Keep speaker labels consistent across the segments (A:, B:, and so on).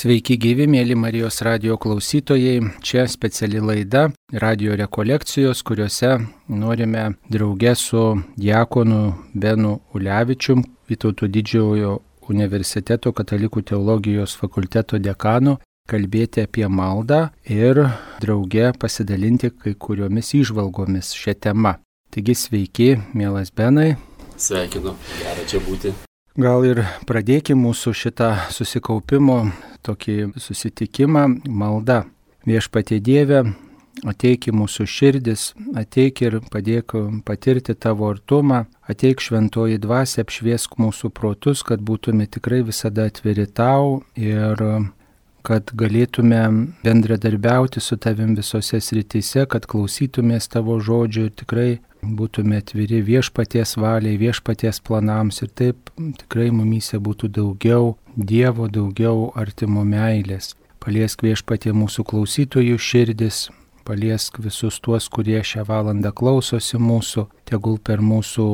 A: Sveiki gyvi, mėly Marijos radijo klausytojai. Čia speciali laida radijo rekolekcijos, kuriuose norime drauge su diakonu Benu Ulevičium, Vytauto Didžiojo universiteto katalikų teologijos fakulteto dekanu, kalbėti apie maldą ir drauge pasidalinti kai kuriomis įžvalgomis šią temą. Taigi sveiki, mielas Benai.
B: Sveikinu, gera čia būti.
A: Gal ir pradėkime mūsų šitą susikaupimo tokį susitikimą malda. Viešpatie Dieve, ateik į mūsų širdis, ateik ir padėk patirti tavo artumą, ateik šventoji dvasia, apšviesk mūsų protus, kad būtume tikrai visada atviri tau ir kad galėtume bendradarbiauti su tavim visose srityse, kad klausytumės tavo žodžių ir tikrai būtume atviri viešpaties valiai, viešpaties planams ir taip tikrai mumyse būtų daugiau Dievo, daugiau artimo meilės. Paliesk viešpatie mūsų klausytojų širdis, paliesk visus tuos, kurie šią valandą klausosi mūsų, tegul per mūsų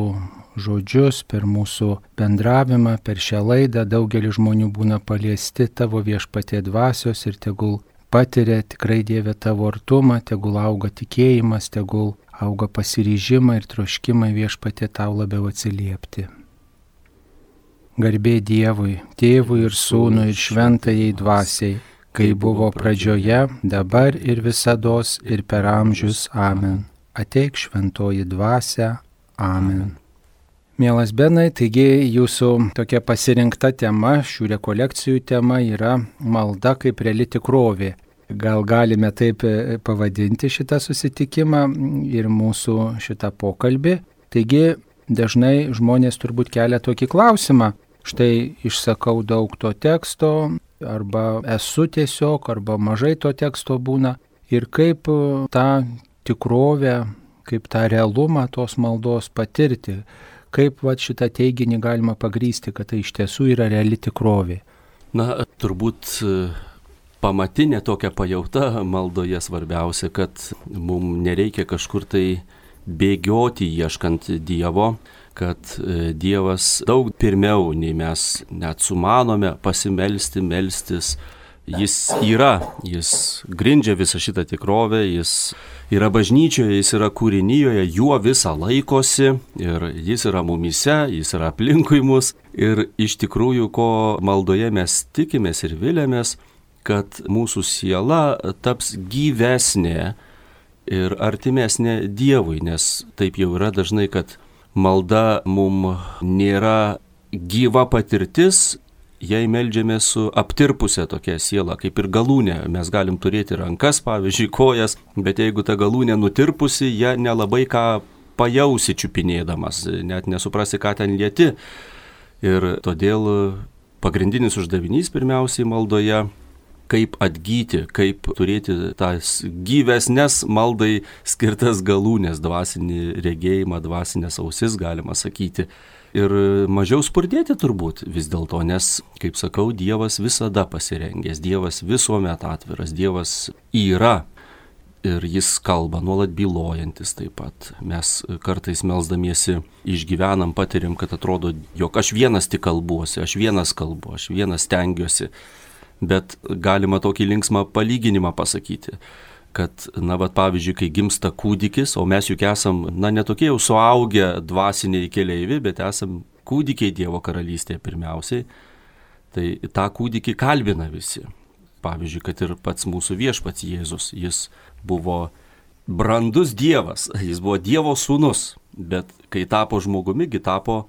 A: žodžius, per mūsų bendravimą, per šią laidą daugelis žmonių būna paliesti tavo viešpatie dvasios ir tegul patiria tikrai Dieve tavo artumą, tegul auga tikėjimas, tegul auga pasiryžimą ir troškimą viešpatie tau labiau atsiliepti. Garbė Dievui, Tėvui ir Sūnui ir Šventajai Dvasiai, kai buvo pradžioje, dabar ir visados ir per amžius. Amen. Ateik šventoji dvasia. Amen. Mielas Benai, taigi jūsų tokia pasirinkta tema, šių rekolekcijų tema yra malda kaip reali tikrovė. Gal galime taip pavadinti šitą susitikimą ir mūsų šitą pokalbį. Taigi dažnai žmonės turbūt kelia tokį klausimą. Štai išsakau daug to teksto, arba esu tiesiog, arba mažai to teksto būna. Ir kaip tą tikrovę, kaip tą realumą tos maldos patirti, kaip šitą teiginį galima pagrįsti, kad tai iš tiesų yra reali tikrovė.
B: Na, turbūt pamatinė tokia pajauta maldoje svarbiausia, kad mums nereikia kažkur tai bėgioti ieškant Dievo, kad Dievas daug pirmiau nei mes net sumanome melstis. Jis yra, jis grindžia visą šitą tikrovę, jis yra bažnyčioje, jis yra kūrinyjoje, juo visą laikosi ir jis yra mumyse, jis yra aplinkui mus. Ir iš tikrųjų, ko maldoje mes tikimės ir vilėmės, kad mūsų siela taps gyvesnė ir artimesnė Dievui, nes taip jau yra dažnai, kad malda mum nėra gyva patirtis, jei meldžiamės su aptirpusia tokia siela, kaip ir galūnė. Mes galim turėti rankas, pavyzdžiui, kojas, bet jeigu ta galūnė nutirpusi, ją nelabai ką pajausi čiupinėdamas, net nesuprasi, ką ten lieti. Ir todėl pagrindinis uždavinys pirmiausiai maldoje, kaip atgyti, kaip turėti tas gyvesnes maldai skirtas galūnės, dvasinį regėjimą, dvasinės ausis, galima sakyti. Ir mažiau spurdėti turbūt vis dėlto, nes, kaip sakau, Dievas visada pasirengęs, Dievas visuomet atviras, Dievas yra ir jis kalba, nuolat bylojantis taip pat. Mes kartais melsdamiesi išgyvenam, patiriam, kad atrodo, jog aš vienas tik kalbuosi, aš vienas kalbu, aš vienas stengiuosi. Bet galima tokį linksmą palyginimą pasakyti, kad, pavyzdžiui, kai gimsta kūdikis, o mes juk esam, netokie jau suaugę dvasiniai keleiviai, bet esam kūdikiai Dievo karalystėje pirmiausiai, tai tą kūdikį kalbina visi. Pavyzdžiui, kad ir pats mūsų viešpats Jėzus, jis buvo brandus Dievas, jis buvo Dievo sūnus, bet kai tapo žmogumi, tapo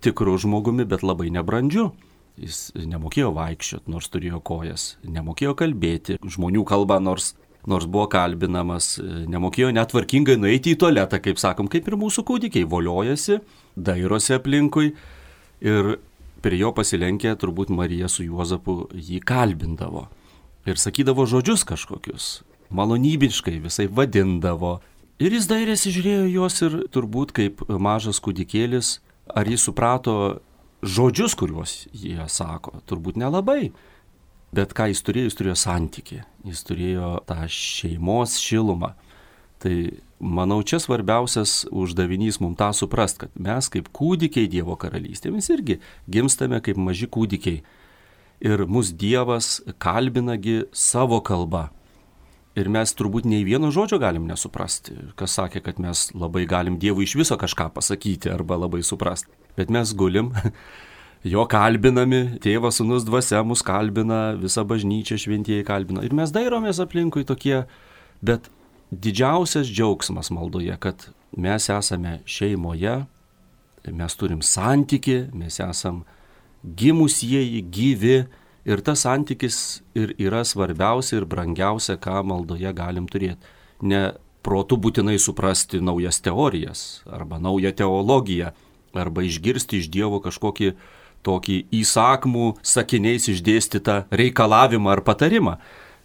B: tikru žmogumi, bet labai nebrandžiu. Jis nemokėjo vaikščioti, nors turėjo kojas, nemokėjo kalbėti žmonių kalbą, nors buvo kalbinamas, nemokėjo netvarkingai nueiti į tualetą, kaip sakom, kaip ir mūsų kūdikiai, voliojasi, dairosi aplinkui ir prie jo pasilenkę turbūt Marija su Juozapu jį kalbindavo ir sakydavo žodžius kažkokius, malonybiškai visai vadindavo. Ir jis dairėsi, žiūrėjo juos ir turbūt kaip mažas kūdikėlis, ar jis suprato žodžius, kuriuos jie sako, turbūt nelabai. Bet ką jis turėjo santykį, jis turėjo tą šeimos šilumą. Tai manau, čia svarbiausias uždavinys mums tą suprast, kad mes kaip kūdikiai Dievo karalystėje, mes irgi gimstame kaip maži kūdikiai. ir mus Dievas kalbinagi savo kalba. Ir mes turbūt nei vieno žodžio galim nesuprasti. Kas sakė, kad mes labai galim Dievui iš viso kažką pasakyti arba labai suprasti. Bet mes gulim, jo kalbinami, Tėvas, Sūnus, Dvasia mus kalbina, visa bažnyčia, šventieji kalbina. Ir mes dairomės aplinkui tokie, bet didžiausias džiaugsmas maldoje, kad mes esame šeimoje, mes turim santykį, mes esam gimusieji, gyvi. Ir tas santykis ir yra svarbiausia ir brangiausia, ką maldoje galim turėti. Ne protu būtinai suprasti naujas teorijas, arba naują teologiją, arba išgirsti iš Dievo kažkokį tokį įsakmų sakiniais išdėstytą reikalavimą ar patarimą,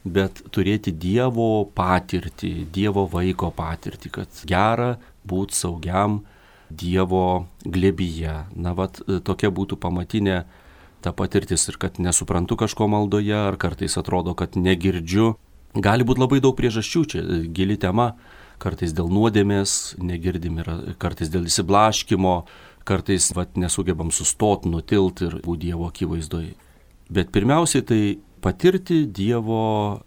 B: bet turėti Dievo patirtį, Dievo vaiko patirtį, kad gera būti saugiam Dievo glėbyje. Na, tokia būtų pamatinė ta patirtis ir kad nesuprantu kažko maldoje, ar kartais atrodo, kad negirdžiu. Gali būti labai daug priežasčių, čia gili tema, kartais dėl nuodėmės negirdim, ir kartais dėl įsiblaškimo, kartais nesugebam sustoti, nutilti ir būti Dievo akivaizdoje. Bet pirmiausiai tai patirti Dievo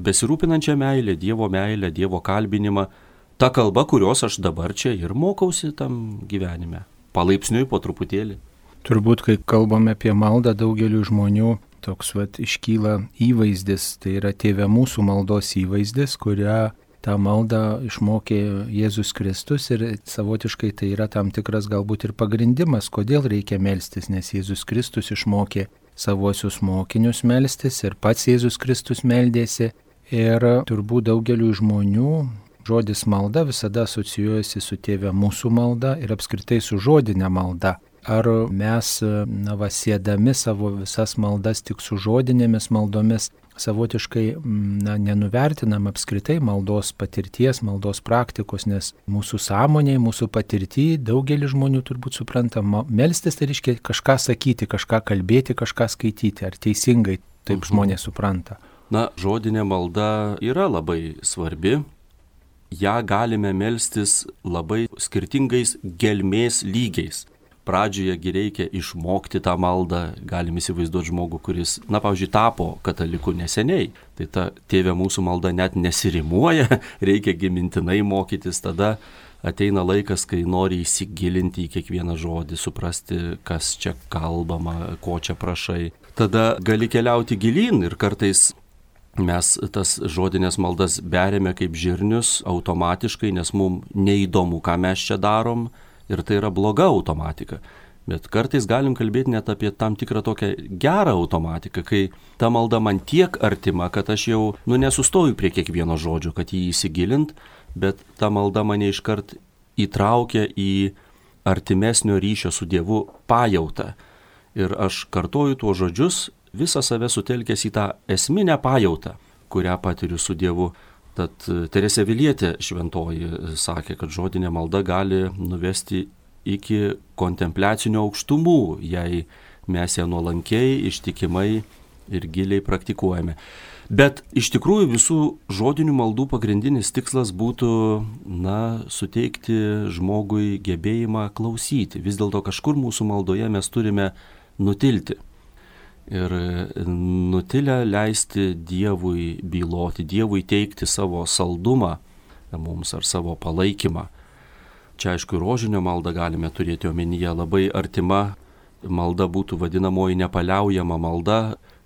B: besirūpinančią meilę, Dievo kalbinimą, ta kalba, kurios aš dabar čia ir mokausi tam gyvenime, palaipsniui po truputėlį.
A: Turbūt, kai kalbame apie maldą, daugeliu žmonių toks iškyla įvaizdis, tai yra Tėve mūsų maldos įvaizdis, kurią tą maldą išmokė Jėzus Kristus ir savotiškai tai yra tam tikras galbūt ir pagrindimas, kodėl reikia melstis, nes Jėzus Kristus išmokė savuosius mokinius melstis ir pats Jėzus Kristus meldėsi ir turbūt daugeliu žmonių žodis malda visada asocijuojasi su Tėve mūsų malda ir apskritai su žodinė malda. Ar mes, sėdami savo visas maldas tik su žodinėmis maldomis, savotiškai nenuvertinam apskritai maldos patirties, maldos praktikos, nes mūsų sąmonėje, mūsų patirtyje daugelis žmonių turbūt supranta, melstis tai reiškia kažką sakyti, kažką kalbėti, kažką skaityti. Ar teisingai taip žmonės supranta?
B: Na, žodinė malda yra labai svarbi. Ja galime melstis labai skirtingais gelmės lygiais. Pradžioje reikia išmokti tą maldą, galim įsivaizduoti žmogų, kuris, pavyzdžiui, tapo kataliku neseniai. Tai ta Tėve mūsų malda net nesirimuoja, reikia mintinai mokytis, tada ateina laikas, kai nori įsigilinti į kiekvieną žodį, suprasti, kas čia kalbama, ko čia prašai. Tada gali keliauti gilyn ir kartais mes tas žodinės maldas beriame kaip žirnius automatiškai, nes mums neįdomu, ką mes čia darom. Ir tai yra bloga automatika. Bet kartais galim kalbėti net apie tam tikrą tokią gerą automatiką, kai ta malda man tiek artima, kad aš jau nesustoju prie kiekvieno žodžio, kad jį įsigilint, bet ta malda mane iškart įtraukia į artimesnio ryšio su Dievu pajautą. Ir aš kartoju tuos žodžius, visą save sutelkęs į tą esminę pajautą, kurią patiriu su Dievu. Tad Teresė Avilietė šventoji sakė, kad žodinė malda gali nuvesti iki kontempliacinio aukštumų, jei mes ją nuolankiai, ištikimai ir giliai praktikuojame. Bet iš tikrųjų visų žodinių maldų pagrindinis tikslas būtų, suteikti žmogui gebėjimą klausyti. Vis dėlto kažkur mūsų maldoje mes turime nutilti. Ir nutilę leisti Dievui byloti, Dievui teikti savo saldumą mums ar savo palaikymą. Čia aišku, rožinio maldą galime turėti omenyje, labai artima malda būtų vadinamoji nepaliaujama malda.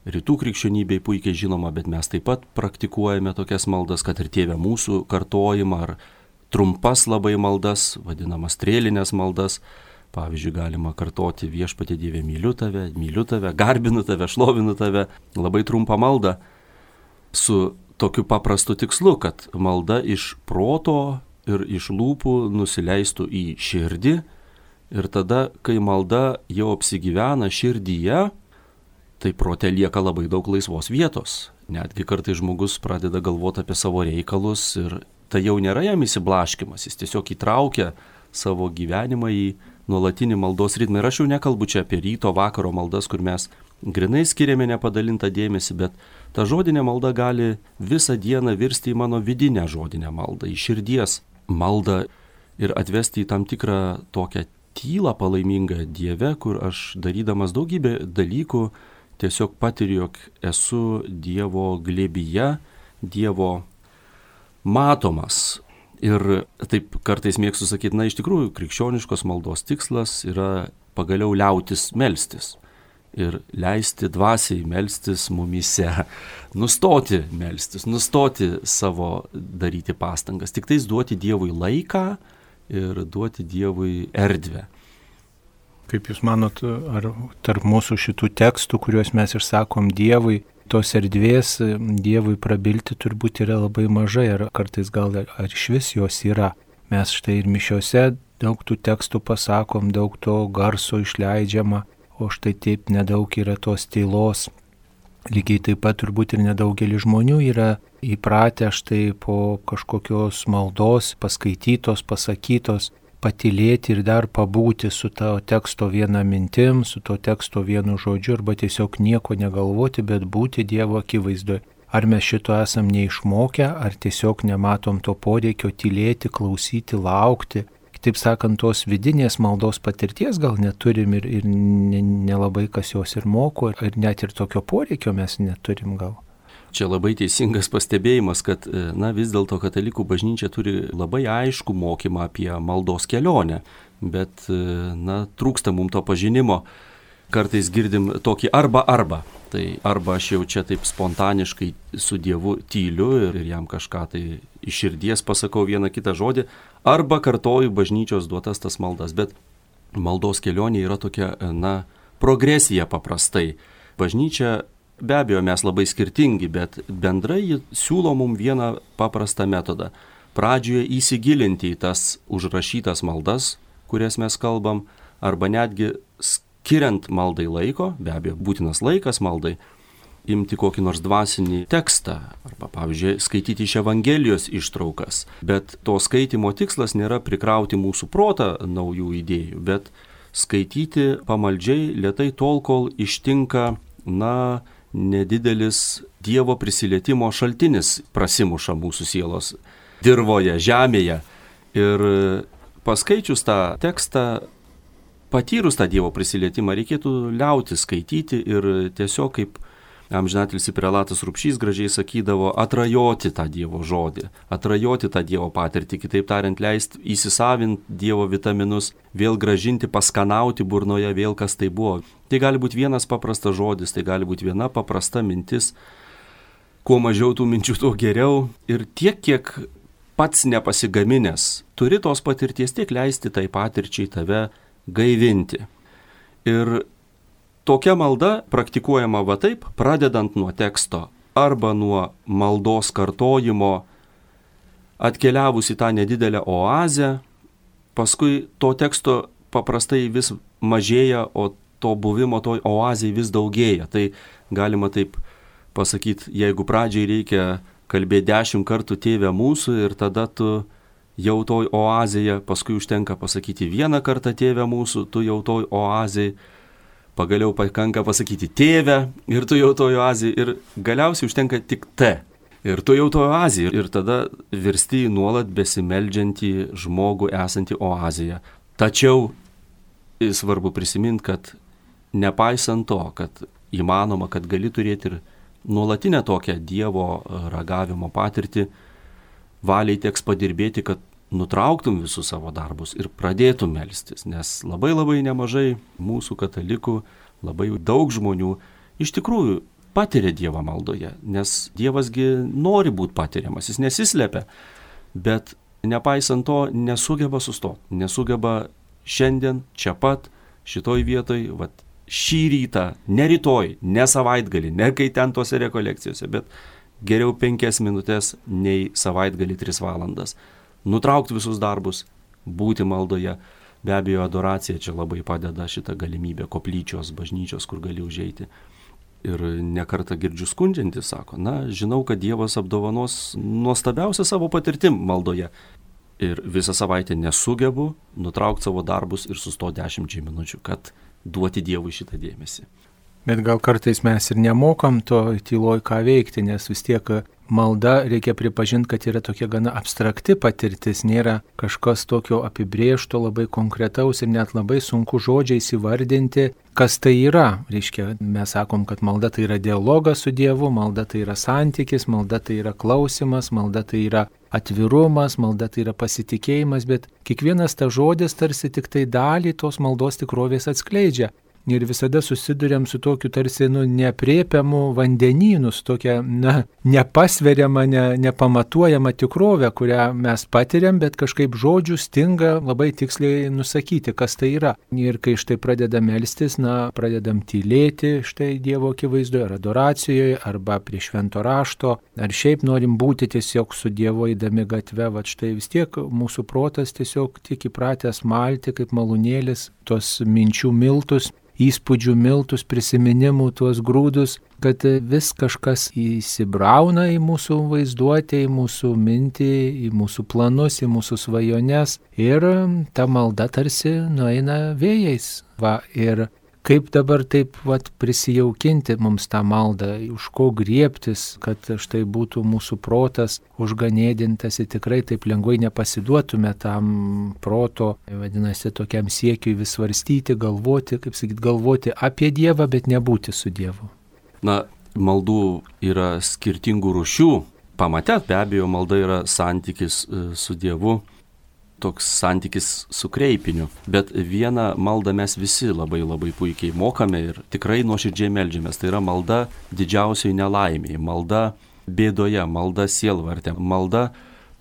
B: Rytų krikščionybei puikiai žinoma, bet mes taip pat praktikuojame tokias maldas, kad ir Tėve mūsų kartojimą ar trumpas labai maldas, vadinamas strėlinės maldas. Pavyzdžiui, galima kartoti Viešpatie Dieve myliu tave, garbinu tave, šlovinu tave. Labai trumpą maldą su tokiu paprastu tikslu, kad malda iš proto ir iš lūpų nusileistų į širdį. Ir tada, kai malda jau apsigyvena širdyje, tai prote lieka labai daug laisvos vietos. Netgi kartais žmogus pradeda galvoti apie savo reikalus ir tai jau nėra jam įsiblaškimas, jis tiesiog įtraukia savo gyvenimą į nuolatinį maldos ritmą. Ir aš jau nekalbu čia apie ryto, vakaro maldas, kur mes grinai skiriame nepadalintą dėmesį, bet ta žodinė malda gali visą dieną virsti į mano vidinę žodinę maldą, į širdies maldą ir atvesti į tam tikrą tokią tylą palaimingą Dieve, kur aš darydamas daugybę dalykų tiesiog patiriu, jog esu Dievo glėbyje, Dievo matomas. Ir taip kartais mėgstu sakyti, iš tikrųjų, krikščioniškos maldos tikslas yra pagaliau liautis melstis. Ir leisti dvasiai melstis mumyse, nustoti melstis, nustoti savo daryti pastangas, tik tais duoti Dievui laiką ir duoti Dievui erdvę.
A: Kaip Jūs manot, ar tarp mūsų šitų tekstų, kuriuos mes išsakom Dievui, tos erdvės Dievui prabilti turbūt yra labai mažai, ar kartais gal ar išvis jos yra. Mes štai ir mišiose daug tų tekstų pasakom, daug to garso išleidžiama, o štai taip nedaug yra tos tylos. Lygiai taip pat turbūt ir nedaugelis žmonių yra įpratę štai po kažkokios maldos paskaitytos, pasakytos, patylėti ir dar pabūti su to teksto viena mintim, su to teksto vienu žodžiu, arba tiesiog nieko negalvoti, bet būti Dievo akivaizdoje. Ar mes šito esam neišmokę, ar tiesiog nematom to poreikio tylėti, klausyti, laukti. Taip sakant, tos vidinės maldos patirties gal neturim ir nelabai kas jos ir moko, ir net ir tokio poreikio mes neturim gal.
B: Čia labai teisingas pastebėjimas, kad vis dėlto katalikų bažnyčia turi labai aiškų mokymą apie maldos kelionę, bet trūksta mums to pažinimo. Kartais girdim tokį arba. Tai arba aš jau čia taip spontaniškai su Dievu tyliu ir jam kažką tai iš širdies pasakau vieną kitą žodį, arba kartoju bažnyčios duotas tas maldas. Bet maldos kelionė yra tokia, progresija paprastai. Bažnyčia, be abejo, mes labai skirtingi, bet bendrai ji siūlo mums vieną paprastą metodą. Pradžioje įsigilinti į tas užrašytas maldas, kurias mes kalbam, arba netgi skiriant maldai laiko, be abejo, būtinas laikas maldai, imti kokį nors dvasinį tekstą, arba, pavyzdžiui, skaityti iš Evangelijos ištraukas. Bet to skaitimo tikslas nėra prikrauti mūsų protą naujų idėjų, bet skaityti pamaldžiai lėtai tol, kol ištinka, nedidelis Dievo prisilietimo šaltinis prasimuša mūsų sielos dirvoje, žemėje. Ir paskaičius tą tekstą, patyrus tą Dievo prisilietimą, reikėtų liauti skaityti ir tiesiog, kaip amžinatilsį prelatas Rupšys gražiai sakydavo, atrajoti tą Dievo žodį, atrajoti tą Dievo patirtį, kitaip tariant, leisti įsisavinti Dievo vitaminus, vėl gražinti, paskanauti burnoje, vėl kas tai buvo. Tai gali būti vienas paprastas žodis, tai gali būti viena paprasta mintis. Kuo mažiau tų minčių, tuo geriau. Ir tiek, kiek pats nepasigaminęs turi tos patirties, tiek leisti tai patirčiai tave gaivinti. Ir tokia malda praktikuojama va taip, pradedant nuo teksto arba nuo maldos kartojimo, atkeliavus į tą nedidelę oazę, paskui to teksto paprastai vis mažėja, o to buvimo toj oazėje vis daugėja. Tai galima taip pasakyti, jeigu pradžiai reikia kalbėti 10 kartų Tėve mūsų ir tada tu jau toj oazėje, paskui užtenka pasakyti 1 kartą Tėve mūsų, tu jau toj oazėje, pagaliau pakanka pasakyti Tėve ir tu jau toj oazėje ir galiausiai užtenka tik T. Ir tu jau toj oazėje ir tada virsti į nuolat besimeldžiantį žmogų esantį oazėje. Tačiau svarbu prisiminti, kad nepaisant to, kad įmanoma, kad gali turėti ir nuolatinę tokią Dievo ragavimo patirtį, valiai teks padirbėti, kad nutrauktum visus savo darbus ir pradėtum melstis, nes labai nemažai mūsų katalikų, labai daug žmonių iš tikrųjų patiria Dievą maldoje, nes Dievasgi nori būti patiriamas, jis nesislepia, bet nepaisant to nesugeba sustoti, nesugeba šiandien, čia pat, šitoj vietoj, šį rytą, ne rytoj, ne savaitgalį, ne kai ten tose rekolekcijose, bet geriau 5 minutės nei savaitgalį 3 valandas. Nutraukti visus darbus, būti maldoje. Be abejo, adoracija čia labai padeda, šitą galimybę koplyčios, bažnyčios, kur gali užeiti. Ir nekartą girdžiu skundžiantis, sako, žinau, kad Dievas apdovanos nuostabiausią savo patirtim maldoje. Ir visą savaitę nesugebu nutraukti savo darbus ir sustoti 10 minučių, kad duoti Dievui šitą dėmesį.
A: Bet gal kartais mes ir nemokam to tyloj ką veikti, nes vis tiek malda, reikia pripažinti, kad yra tokia gana abstrakti patirtis, nėra kažkas tokio apibrėžto, labai konkretaus ir net labai sunku žodžiais įvardinti, kas tai yra. Reiškia, mes sakom, kad malda tai yra dialogas su Dievu, malda tai yra santykis, malda tai yra klausimas, malda tai yra atvirumas, malda tai yra pasitikėjimas, bet kiekvienas tas žodis tarsi tik tai dalį tos maldos tikrovės atskleidžia. Ir visada susiduriam su tokiu tarsi neaprėpiamu vandenynu, su tokia nepasveriama, nepamatuojama tikrovė, kurią mes patiriam, bet kažkaip žodžių stinga labai tiksliai nusakyti, kas tai yra. Ir kai štai pradedam melstis, pradedam tylėti štai Dievo akivaizdoje, ar adoracijoje, arba prie švento rašto, ar šiaip norim būti tiesiog su Dievu eidami gatve, va štai vis tiek mūsų protas tiesiog tik įpratęs malti kaip malūnėlis tos minčių miltus, įspūdžių miltus, prisiminimų, tuos grūdus, kad vis kažkas įsibrauna į mūsų vaizduotę, į mūsų mintį, į mūsų planus, į mūsų svajones ir ta malda tarsi nueina vėjais. Ir kaip dabar taip prisijaukinti mums tą maldą, už ko griebtis, kad štai būtų mūsų protas užganėdintas ir tikrai taip lengvai nepasiduotume tam proto, vadinasi, tokiam siekiui vis svarstyti, galvoti, galvoti apie Dievą, bet nebūti su Dievu.
B: Maldų yra skirtingų rūšių. Pamate, be abejo, malda yra santykis su Dievu, toks santykis su kreipiniu. Bet vieną maldą mes visi labai puikiai mokame ir tikrai nuoširdžiai meldžiamės. Tai yra malda didžiausiai nelaimėje, malda bėdoje, malda sielvarte, malda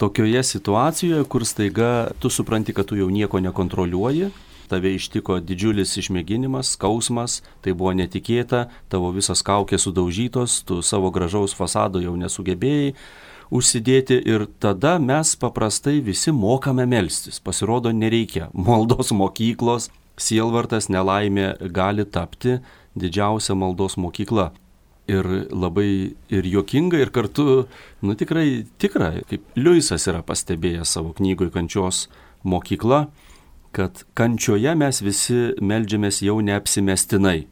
B: tokioje situacijoje, kur staiga tu supranti, kad tu jau nieko nekontroliuoji, tave ištiko didžiulis išmėginimas, skausmas, tai buvo netikėta, tavo visas kaukės sudaužytos, tu savo gražaus fasado jau nesugebėjai užsidėti ir tada mes paprastai visi mokame melstis. Pasirodo, nereikia maldos mokyklos, sielvartas nelaimė gali tapti didžiausia maldos mokykla. Ir labai ir juokinga, ir kartu, tikrai tikra, kaip Liujisas yra pastebėjęs savo knygoje Kančios mokykla, kad kančioje mes visi meldžiamės jau neapsimestinai.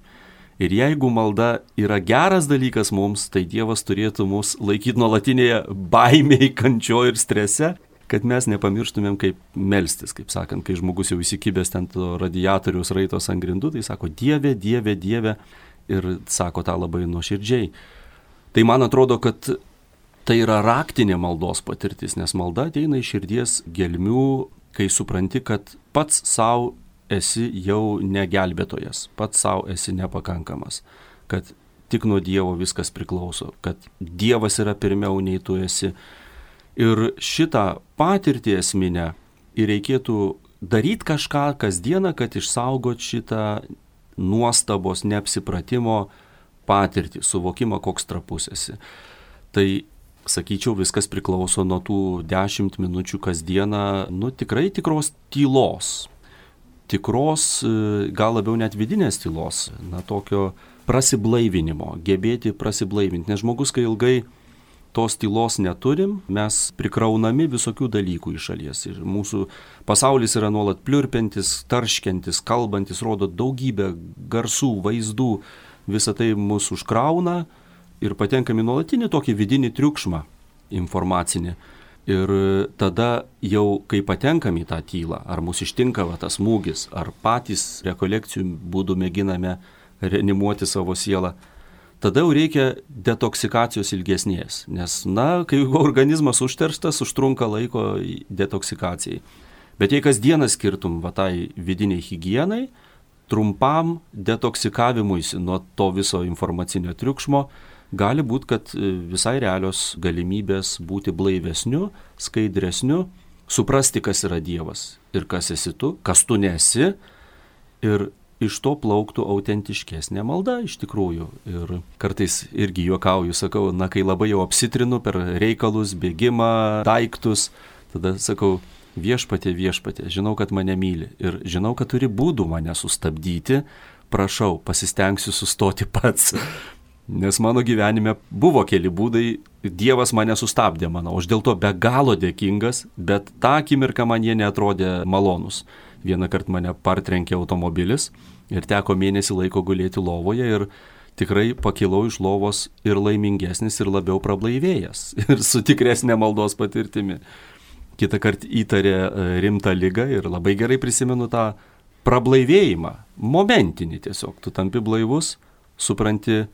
B: Ir jeigu malda yra geras dalykas mums, tai Dievas turėtų mus laikyti nuolatinėje baimėje, kančioje ir strese, kad mes nepamirštumėm kaip melstis, kaip sakant, kai žmogus jau įsikibęs ten to radiatoriaus raitos ant grindų, tai sako Dieve, Dieve, Dieve ir sako tą labai nuoširdžiai. Tai man atrodo, kad tai yra raktinė maldos patirtis, nes malda ateina iš širdies gelmių, kai supranti, kad pats savo esi jau negelbėtojas, pats savo esi nepakankamas, kad tik nuo Dievo viskas priklauso, kad Dievas yra pirmiau nei tu esi. Ir šitą patirtį esminę ir reikėtų daryti kažką kasdieną, kad išsaugot šitą nuostabos, neapsipratimo patirtį, suvokimą, koks trapus esi. Tai, sakyčiau, viskas priklauso nuo tų 10 minučių kasdieną, tikrai tikros tylos. Tikros, gal labiau net vidinės tylos, tokio prasiblaivinimo, gebėti prasiblaivinti. Nes žmogus, kai ilgai tos tylos neturim, mes prikraunami visokių dalykų iš šalies. Ir mūsų pasaulis yra nuolat pliurpiantis, tarškiantis, kalbantis, rodo daugybę garsų, vaizdų. Visą tai mus užkrauna ir patenkam į nuolatinį tokį vidinį triukšmą informacinį. Ir tada jau, kai patenkam į tą tylą, ar mus ištinka tas smūgis, ar patys rekolekcijų būdų mėginame reanimuoti savo sielą, tada jau reikia detoksikacijos ilgesnės, nes, kai organizmas užterštas, užtrunka laiko detoksikacijai. Bet jei kasdieną skirtum tai vidiniai higienai, trumpam detoksikavimuisi nuo to viso informacinio triukšmo, gali būti, kad visai realios galimybės būti blaivesniu, skaidresniu, suprasti, kas yra Dievas ir kas esi tu, kas tu nesi, ir iš to plauktų autentiškesnė malda iš tikrųjų. Ir kartais irgi juokauju, sakau, kai labai jau apsitrinu per reikalus, bėgimą, daiktus, tada sakau, viešpatie, žinau, kad mane myli ir žinau, kad turi būdų mane sustabdyti, prašau, pasistengsiu sustoti pats. Nes mano gyvenime buvo keli būdai, Dievas mane sustabdė, manau, aš dėl to be galo dėkingas, bet tą akimirką man jie neatrodė malonus. Vieną kartą mane partrenkė automobilis ir teko mėnesį laiko gulėti lovoje ir tikrai pakilau iš lovos ir laimingesnis, ir labiau prablaivėjęs, ir su tikresnė maldos patirtimi. Kitą kartą įtarė rimtą ligą ir labai gerai prisimenu tą prablaivėjimą, momentinį tiesiog. Tu tampi blaivus, supranti,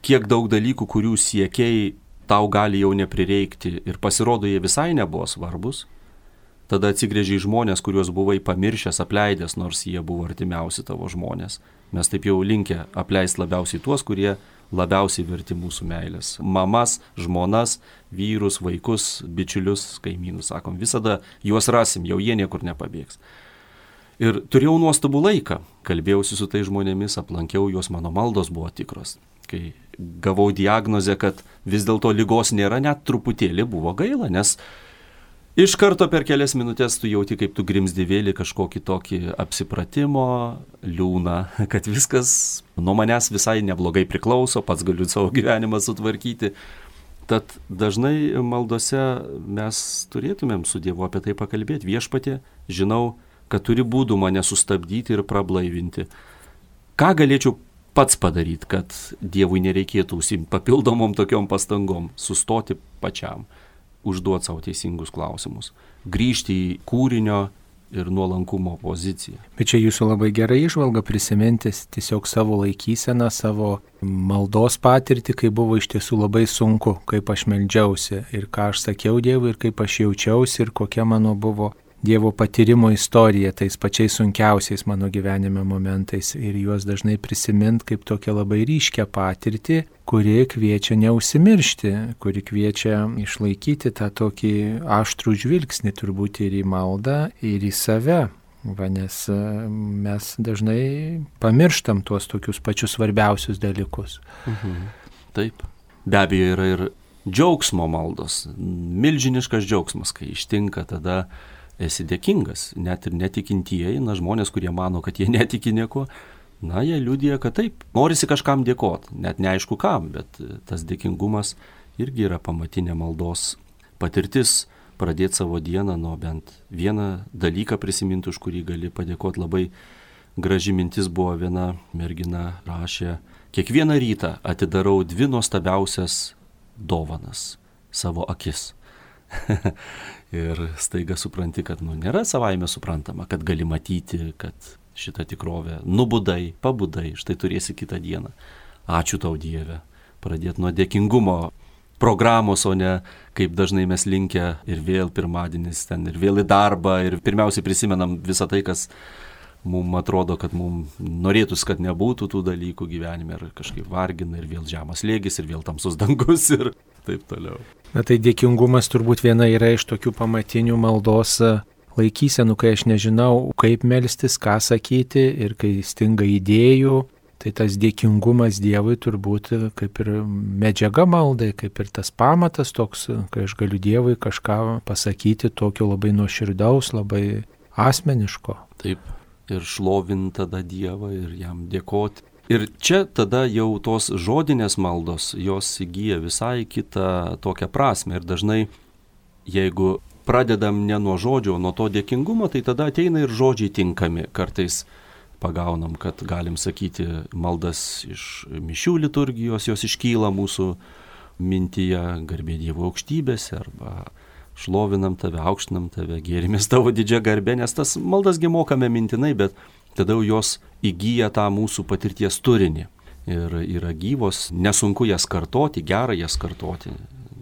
B: kiek daug dalykų, kurių siekiai tau gali jau neprireikti ir pasirodo jie visai nebuvo svarbus. Tada atsigrėži į žmonės, kuriuos buvai pamiršęs, apleidęs, nors jie buvo artimiausi tavo žmonės. Mes taip jau linkę apleisti labiausiai tuos, kurie labiausiai verti mūsų meilės. Mamas, žmonas, vyrus, vaikus, bičiulius, kaimynus, sakom, visada juos rasim, jau jie niekur nepabėgs. Ir turėjau nuostabų laiką, kalbėjausi su tai žmonėmis, aplankiau juos, mano maldos buvo tikros. Kai gavau diagnozę, kad vis dėlto ligos nėra, net truputėlį buvo gaila, nes iš karto per kelias minutės tu jauti, kaip tu grimzdi vėl į kažkokį tokį apsipratimo, liūną, kad viskas nuo manęs visai neblogai priklauso, pats galiu savo gyvenimą sutvarkyti. Tad dažnai maldose mes turėtumėm su Dievu apie tai pakalbėti. Viešpatie, žinau, kad turi būdų mane sustabdyti ir prablaivinti. Ką galėčiau pats padaryti, kad Dievui nereikėtų užsiimti papildomom tokiom pastangom, sustoti pačiam, užduoti savo teisingus klausimus, grįžti į kūrinio ir nuolankumo poziciją.
A: Bet čia jūsų labai gerai įžvalga prisiminti tiesiog savo laikyseną, savo maldos patirtį, kai buvo iš tiesų labai sunku, kaip aš meldžiausi ir ką aš sakiau Dievui ir kaip aš jaučiausi ir kokia mano buvo Dievo patyrimo istorija tais pačiais sunkiausiais mano gyvenime momentais ir juos dažnai prisimint kaip tokią labai ryškę patirtį, kuri kviečia neužsimiršti, kuri kviečia išlaikyti tą tokį aštrų žvilgsnį turbūt ir į maldą, ir į save. Nes mes dažnai pamirštam tuos tokius pačius svarbiausius dalykus.
B: Taip. Be abejo yra ir džiaugsmo maldos, milžiniškas džiaugsmas, kai ištinka tada esi dėkingas, net ir netikintieji, žmonės, kurie mano, kad jie netiki nieko, jie liudija, kad taip, norisi kažkam dėkoti, net neaišku kam, bet tas dėkingumas irgi yra pamatinė maldos patirtis, pradėti savo dieną nuo bent vieną dalyką prisiminti, už kurį gali padėkoti. Labai graži mintis buvo, viena mergina rašė, kiekvieną rytą atidarau 2 nuostabiausias dovanas - savo akis. Ir staiga supranti, kad nėra savaime suprantama, kad gali matyti, kad šitą tikrovę nubudai, pabudai, štai turėsi kitą dieną. Ačiū tau Dieve. Pradėti nuo dėkingumo programos, o ne kaip dažnai mes linkę ir vėl pirmadienis ten, ir vėl į darbą, ir pirmiausiai prisimenam visą tai, kas mums atrodo, kad mums norėtųs, kad nebūtų tų dalykų gyvenime, ir kažkaip vargina, ir vėl žemas slėgis, ir vėl tamsus dangus, ir taip toliau. Tai
A: dėkingumas turbūt viena yra iš tokių pamatinių maldos laikysenų, kai aš nežinau, kaip melstis, ką sakyti ir kai stinga idėjų, tai tas dėkingumas Dievui turbūt kaip ir medžiaga maldai, kaip ir tas pamatas toks, kai aš galiu Dievui kažką pasakyti tokio labai nuoširdaus, labai asmeniško.
B: Taip, ir šlovint tada Dievą ir jam dėkoti. Ir čia tada jau tos žodinės maldos, jos įgyja visai kitą tokią prasme. Ir dažnai, jeigu pradedam ne nuo žodžio, nuo to dėkingumo, tai tada ateina ir žodžiai tinkami. Kartais pagaunam, kad galim sakyti maldas iš mišių liturgijos, jos iškyla mūsų mintyje, garbė Dievo aukštybėse, arba šlovinam tave, aukštinam tave, gėrimės tavo didžią garbę, nes tas maldasgi mokame mintinai, bet tada jos įgyja tą mūsų patirties turinį ir yra gyvos, nesunku jas kartoti, gera jas kartoti,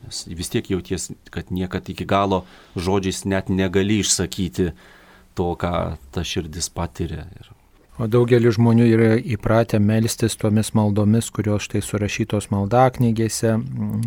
B: nes vis tiek jauties, kad niekad iki galo žodžiais net negali išsakyti to, ką ta širdis patiria.
A: O daugelis žmonių yra įpratę melstis tomis maldomis, kurios štai surašytos maldaknygėse,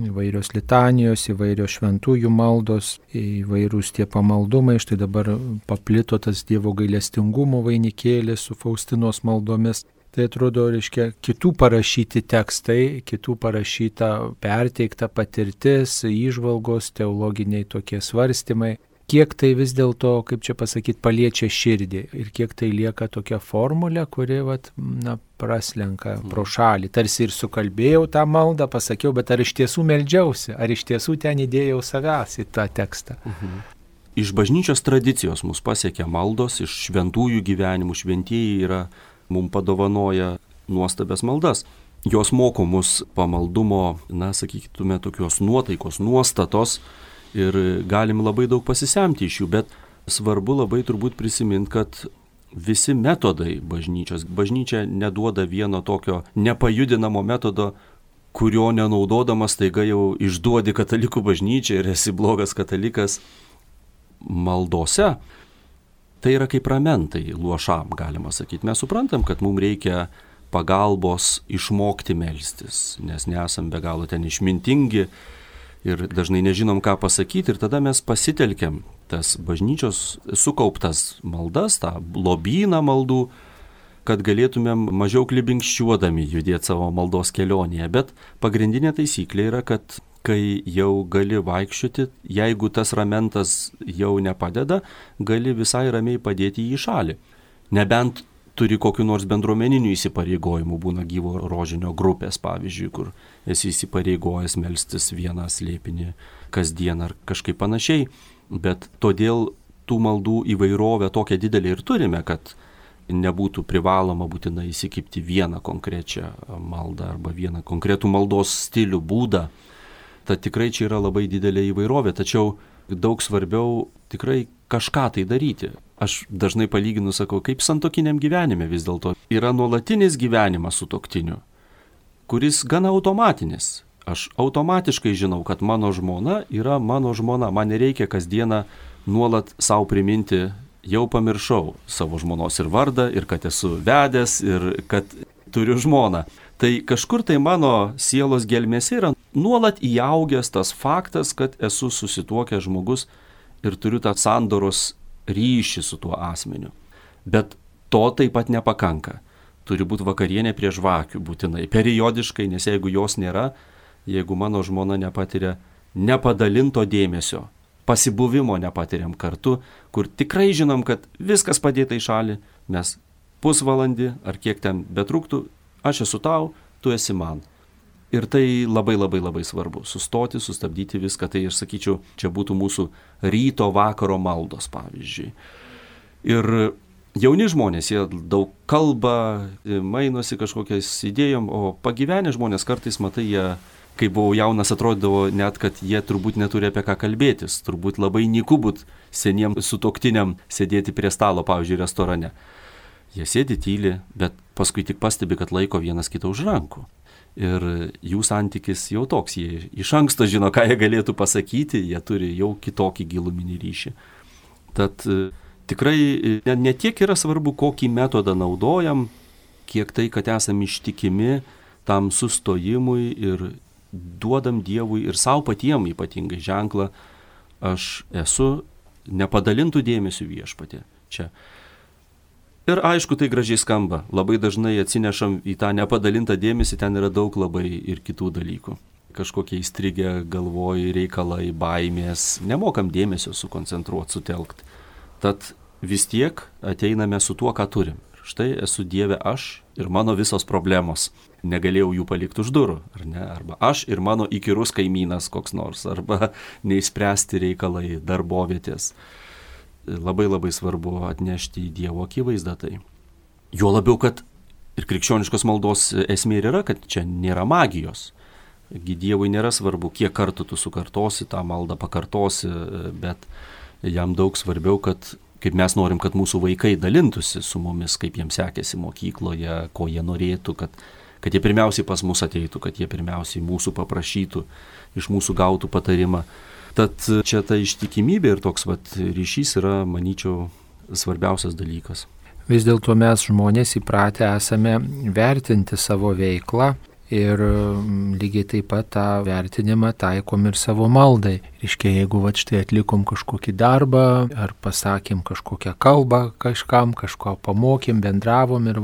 A: įvairios litanijos, įvairios šventųjų maldos, įvairūs tie pamaldumai. Štai dabar paplito tas Dievo gailestingumo vainikėlis su Faustinos maldomis. Tai atrodo, reiškia, kitų parašyti tekstai, kitų parašyta perteikta patirtis, įžvalgos, teologiniai tokie svarstymai. Kiek tai vis dėlto, kaip čia pasakyti, paliečia širdį ir kiek tai lieka tokia formulė, kuri praslenka pro šalį. Tarsi ir sukalbėjau tą maldą, pasakiau, bet ar iš tiesų meldžiausi, ar iš tiesų ten įdėjau savęs į tą tekstą.
B: Iš bažnyčios tradicijos mus pasiekia maldos, iš šventųjų gyvenimų, šventieji mums padovanoja nuostabias maldas. jos moko mus pamaldumo, sakytume, tokios nuotaikos, nuostatos ir galim labai daug pasisemti iš jų, bet svarbu labai turbūt prisiminti, kad visi metodai bažnyčia neduoda vieno tokio nepajudinamo metodo, kurio nenaudodamas taiga jau išduodi katalikų bažnyčią ir esi blogas katalikas. Maldose tai yra kaip ramentai luošam, galima sakyti. Mes suprantam, kad mums reikia pagalbos išmokti melstis, nes nesam be galo ten išmintingi ir dažnai nežinom, ką pasakyti, ir tada mes pasitelkiam tas bažnyčios sukauptas maldas, tą lobyną maldų, kad galėtumėm mažiau klibinkščiuodami judėti savo maldos kelionėje. Bet pagrindinė taisyklė yra, kad kai jau gali vaikščioti, jeigu tas ramentas jau nepadeda, gali visai ramiai padėti jį į šalį. Nebent turi kokiu nors bendruomeninių įsipareigojimų, būna gyvo rožinio grupės, pavyzdžiui, kur esi įsipareigojęs melstis vieną slėpinį kasdien ar kažkaip panašiai, bet todėl tų maldų įvairovę tokią didelį ir turime, kad nebūtų privaloma būtinai įsikibti vieną konkrečią maldą arba vieną konkretų maldos stilių, būdą. Tad tikrai čia yra labai didelė įvairovė, tačiau daug svarbiau tikrai kažką tai daryti. Aš dažnai palyginu, sakau, kaip santuokiniam gyvenime vis dėlto yra nuolatinis gyvenimas sutuoktiniu, kuris gana automatinis. Aš automatiškai žinau, kad mano žmona yra mano žmona. Man nereikia kasdieną nuolat savo priminti, jau pamiršau savo žmonos ir vardą, ir kad esu vedęs, ir kad turiu žmoną. Tai kažkur tai mano sielos gelmėse yra nuolat įaugęs tas faktas, kad esu susituokęs žmogus ir turiu tą sandoros ryšį su tuo asmeniu. Bet to taip pat nepakanka. Turi būti vakarienė prie žvakių būtinai, periodiškai, nes jeigu jos nėra, jeigu mano žmona nepatiria nepadalinto dėmesio, pasibuvimo nepatiriam kartu, kur tikrai žinom, kad viskas padėta į šalį, mes pusvalandį ar kiek ten betruktų, aš esu tau, tu esi man. Ir tai labai labai labai svarbu. Sustoti, sustabdyti viską. Tai aš sakyčiau, čia būtų mūsų ryto vakaro maldos, pavyzdžiui. Ir jauni žmonės, jie daug kalba, mainosi kažkokiais idėjom, o pagyvenę žmonės kartais, matai, jie, kai buvau jaunas, atrodydavo net, kad jie turbūt neturi apie ką kalbėtis. Turbūt labai nyku būt seniem sutuoktiniam sėdėti prie stalo, pavyzdžiui, restorane. Jie sėdi tyli, bet paskui tik pastebi, kad laiko vienas kitą už rankų. Ir jų santykis jau toks, jie iš anksto žino, ką jie galėtų pasakyti, jie turi jau kitokį giluminį ryšį. Tad tikrai ne tiek yra svarbu, kokį metodą naudojam, kiek tai, kad esam ištikimi tam sustojimui ir duodam Dievui ir savo patiem ypatingai ženklą, aš esu nepadalintų dėmesių Viešpatie čia. Ir aišku, tai gražiai skamba. Labai dažnai atsinešam į tą nepadalintą dėmesį, ten yra daug labai ir kitų dalykų. Kažkokie įstrigę galvoj reikalai, baimės, nemokam dėmesio sukoncentruoti, sutelkti. Tad vis tiek ateiname su tuo, ką turim. Štai esu Dieve aš ir mano visos problemos. Negalėjau jų palikti už durų, ar ne? Arba aš ir mano įkyrus kaimynas koks nors, arba neišspręsti reikalai, darbovietės. Labai labai svarbu atnešti į Dievo akivaizdą tai. Jo labiau, kad ir krikščioniškos maldos esmė yra, kad čia nėra magijos. Dievui nėra svarbu, kiek kartų tu sukartosi tą maldą, pakartosi, bet jam daug svarbiau, kad kaip mes norim, kad mūsų vaikai dalintųsi su mumis, kaip jiems sekėsi mokykloje, ko jie norėtų, kad jie pirmiausiai pas mus ateitų, kad jie pirmiausiai mūsų paprašytų, iš mūsų gautų patarimą. Tad čia ta ištikimybė ir toks ryšys yra, manyčiau, svarbiausias dalykas.
A: Vis dėlto mes žmonės įpratę esame vertinti savo veiklą ir lygiai taip pat tą vertinimą taikom ir savo maldai. Reiškia, jeigu štai atlikom kažkokį darbą ar pasakėm kažkokią kalbą kažkam, kažko pamokėm, bendravom ir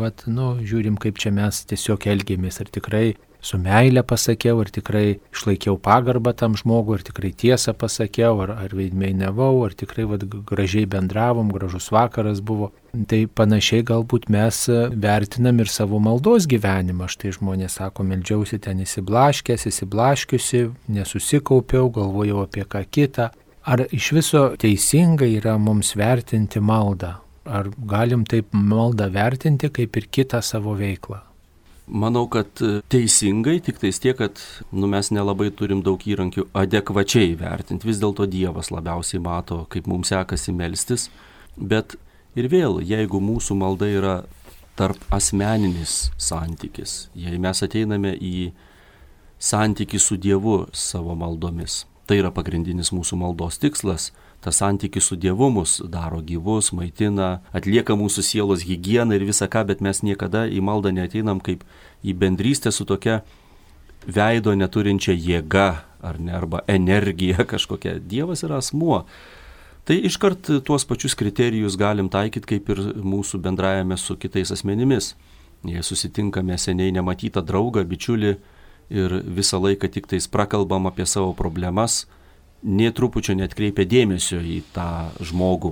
A: žiūrim, kaip čia mes tiesiog elgėmės, ar tikrai su meile pasakiau, ar tikrai išlaikiau pagarbą tam žmogui, ar tikrai tiesą pasakiau, ar veidmainiavau, ar tikrai gražiai bendravom, gražus vakaras buvo. Tai panašiai galbūt mes vertinam ir savo maldos gyvenimą. Štai žmonės sako, meldžiausi ten įsiblaškiusi, nesusikaupiau, galvojau apie ką kitą. Ar iš viso teisingai yra mums vertinti maldą? Ar galim taip maldą vertinti kaip ir kitą savo veiklą?
B: Manau, kad teisingai, tik tais tiek, kad mes nelabai turim daug įrankių adekvačiai vertinti. Vis dėlto Dievas labiausiai mato, kaip mums sekasi melstis. Bet ir vėl, jeigu mūsų malda yra tarp asmeninis santykis, jei mes ateiname į santykį su Dievu savo maldomis, tai yra pagrindinis mūsų maldos tikslas. Tas santykis su Dievu mus daro gyvus, maitina, atlieka mūsų sielos higieną ir visą ką, bet mes niekada į maldą neateinam kaip į bendrystę su tokia veido neturinčia jėga arba energija kažkokia. Dievas yra asmuo. Tai iškart tuos pačius kriterijus galim taikyti kaip ir mūsų bendrajame su kitais asmenimis. Jei susitinkame seniai nematytą draugą, bičiulį ir visą laiką tik tais prakalbam apie savo problemas, nė trupučio neatkreipia dėmesio į tą žmogų,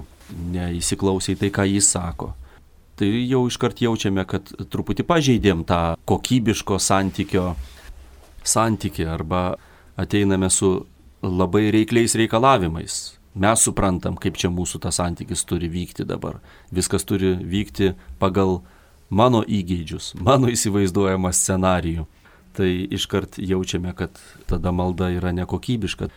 B: neįsiklausė į tai, ką jis sako. Tai jau iškart jaučiame, kad truputį pažeidėm tą kokybiško santykį arba ateiname su labai reikliais reikalavimais. Mes suprantam, kaip čia mūsų tas santykis turi vykti dabar. Viskas turi vykti pagal mano įgeidžius, mano įsivaizduojamą scenarijų. Tai iškart jaučiame, kad tada malda yra nekokybiška.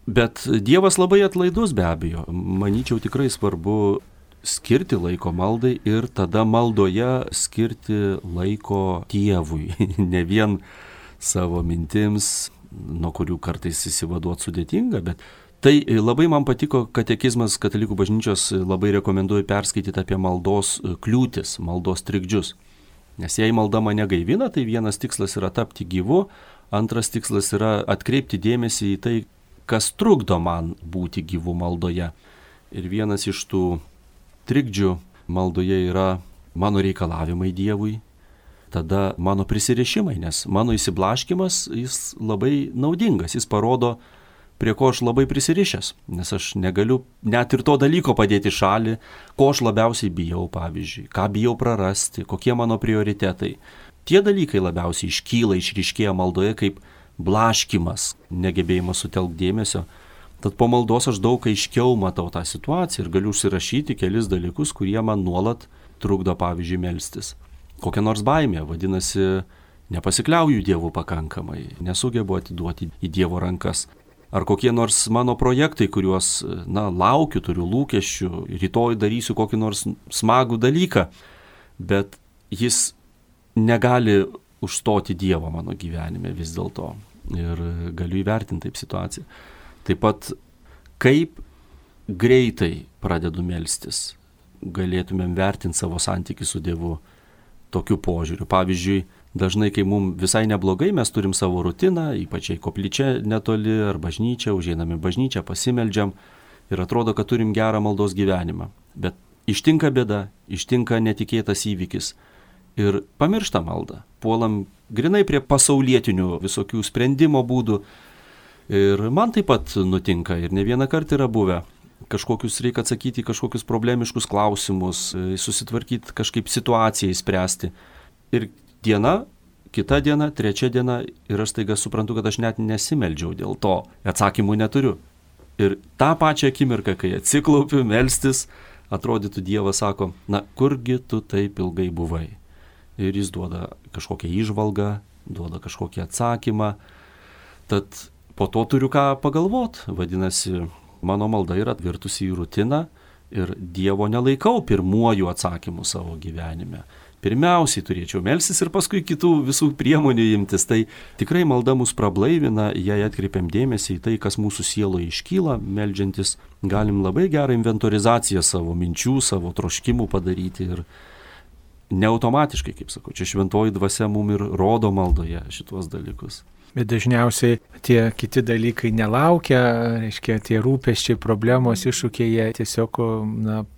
B: Bet Dievas labai atlaidus be abejo. Manyčiau tikrai svarbu skirti laiko maldai ir tada maldoje skirti laiko Dievui. Ne vien savo mintims, nuo kurių kartais įsivaduoti sudėtinga, bet tai labai man patiko katekizmas Katalikų bažnyčios, labai rekomenduoju perskaityti apie maldos kliūtis, maldos trikdžius. Nes jei malda mane gaivina, tai vienas tikslas yra tapti gyvu, antras tikslas yra atkreipti dėmesį į tai, kas trukdo man būti gyvu maldoje. Ir vienas iš tų trikdžių maldoje yra mano reikalavimai Dievui, tada mano prisirišimai, nes mano įsiblaškimas jis labai naudingas, jis parodo, prie ko aš labai prisirišęs, nes aš negaliu net ir to dalyko padėti šalį, ko aš labiausiai bijau, pavyzdžiui, ką bijau prarasti, kokie mano prioritetai. Tie dalykai labiausiai išryškėja maldoje kaip blaškimas, negebėjimas sutelkti dėmesio. Tad po maldos aš daug aiškiau matau tą situaciją ir galiu užsirašyti kelis dalykus, kurie man nuolat trukdo, pavyzdžiui, melstis. Kokia nors baimė, vadinasi, nepasikliauju Dievu pakankamai, nesugebu atiduoti į Dievo rankas. Ar kokie nors mano projektai, kuriuos, laukiu, turiu lūkesčių, rytoj darysiu kokį nors smagų dalyką, bet jis negali užstoti Dievo mano gyvenime vis dėlto. Ir galiu įvertinti taip situaciją. Taip pat, kaip greitai pradedu melstis, galėtumėm vertinti savo santykį su Dievu tokiu požiūriu. Pavyzdžiui, dažnai, kai mums visai neblogai, mes turim savo rutiną, ypač jei koplyčia netoli ar bažnyčia, užeiname bažnyčią, pasimeldžiam ir atrodo, kad turim gerą maldos gyvenimą. Bet ištinka bėda, ištinka netikėtas įvykis ir pamiršta maldą. Puolam grinai prie pasaulietinių visokių sprendimo būdų. Ir man taip pat nutinka ir ne vieną kartą yra buvę. Reikia atsakyti į kažkokius problemiškus klausimus, susitvarkyti kažkaip situaciją įspręsti. Ir diena, kita diena, trečia diena ir aš staiga suprantu, kad aš net nesimeldžiau dėl to. Atsakymų neturiu. Ir tą pačią akimirką, kai atsiklaupiu, melstis, atrodytų Dievas sako, kurgi tu taip ilgai buvai. Ir jis duoda kažkokią įžvalgą, duoda kažkokį atsakymą. Tad po to turiu ką pagalvoti. Vadinasi, mano malda yra virtusi į rutiną ir Dievo nelaikau pirmuoju atsakymu savo gyvenime. Pirmiausiai turėčiau melstis ir paskui kitų visų priemonių imtis. Tai tikrai malda mus prablaivina, jei atkreipiam dėmesį į tai, kas mūsų sieloje iškyla, meldžiantis, galim labai gerą inventorizaciją savo minčių, savo troškimų padaryti ir neautomatiškai, kaip sakau, čia šventoji dvasia mum ir rodo maldoje šitos dalykus.
A: Bet dažniausiai tie kiti dalykai nelaukia, reiškia, tie rūpesčiai, problemos, iššūkiai, jie tiesiog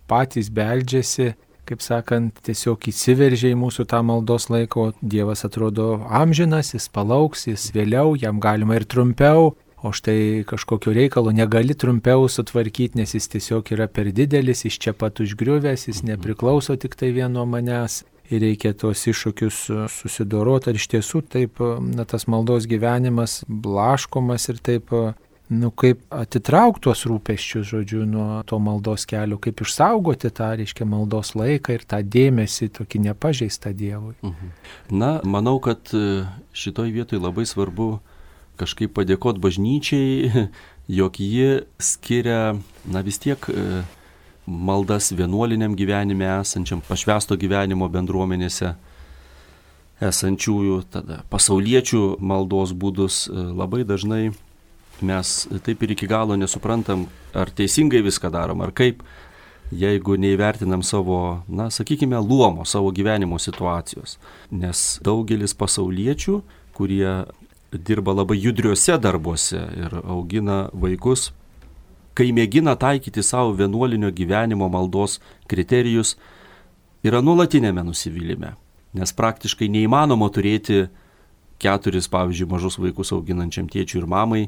A: patys beldžiasi, kaip sakant, tiesiog įsiveržia į mūsų tą maldos laiko. Dievas atrodo amžinas, jis palauks, jis vėliau, jam galima ir trumpiau, o štai kažkokio reikalo negali trumpiau sutvarkyti, nes jis tiesiog yra per didelis, jis čia pat užgriuvęs, jis nepriklauso tik tai vien nuo manęs. Ir reikia tuos iššūkius susidoroti, ar iš tiesų taip, tas maldos gyvenimas blaškomas ir taip kaip atitraukti tuos rūpesčius, žodžiu, nuo to maldos kelio, kaip išsaugoti tą, reiškia, maldos laiką ir tą dėmesį tokį nepažeistą Dievui.
B: Na, manau, kad šitoj vietoj labai svarbu kažkaip padėkoti bažnyčiai, jog ji skiria, vis tiek maldas vienuoliniam gyvenime esančiam, pašvęsto gyvenimo bendruomenėse esančiųjų, tada pasauliečių maldos būdus. Labai dažnai mes taip ir iki galo nesuprantam, ar teisingai viską darom, ar kaip, jeigu neįvertinam savo, sakykime, luomo, savo gyvenimo situacijos. Nes daugelis pasauliečių, kurie dirba labai judriuose darbuose ir augina vaikus, kai mėgina taikyti savo vienuolinio gyvenimo maldos kriterijus, yra nuolatinėme nusivylime. Nes praktiškai neįmanoma turėti 4, pavyzdžiui, mažus vaikus auginančiam tėčiui ir mamai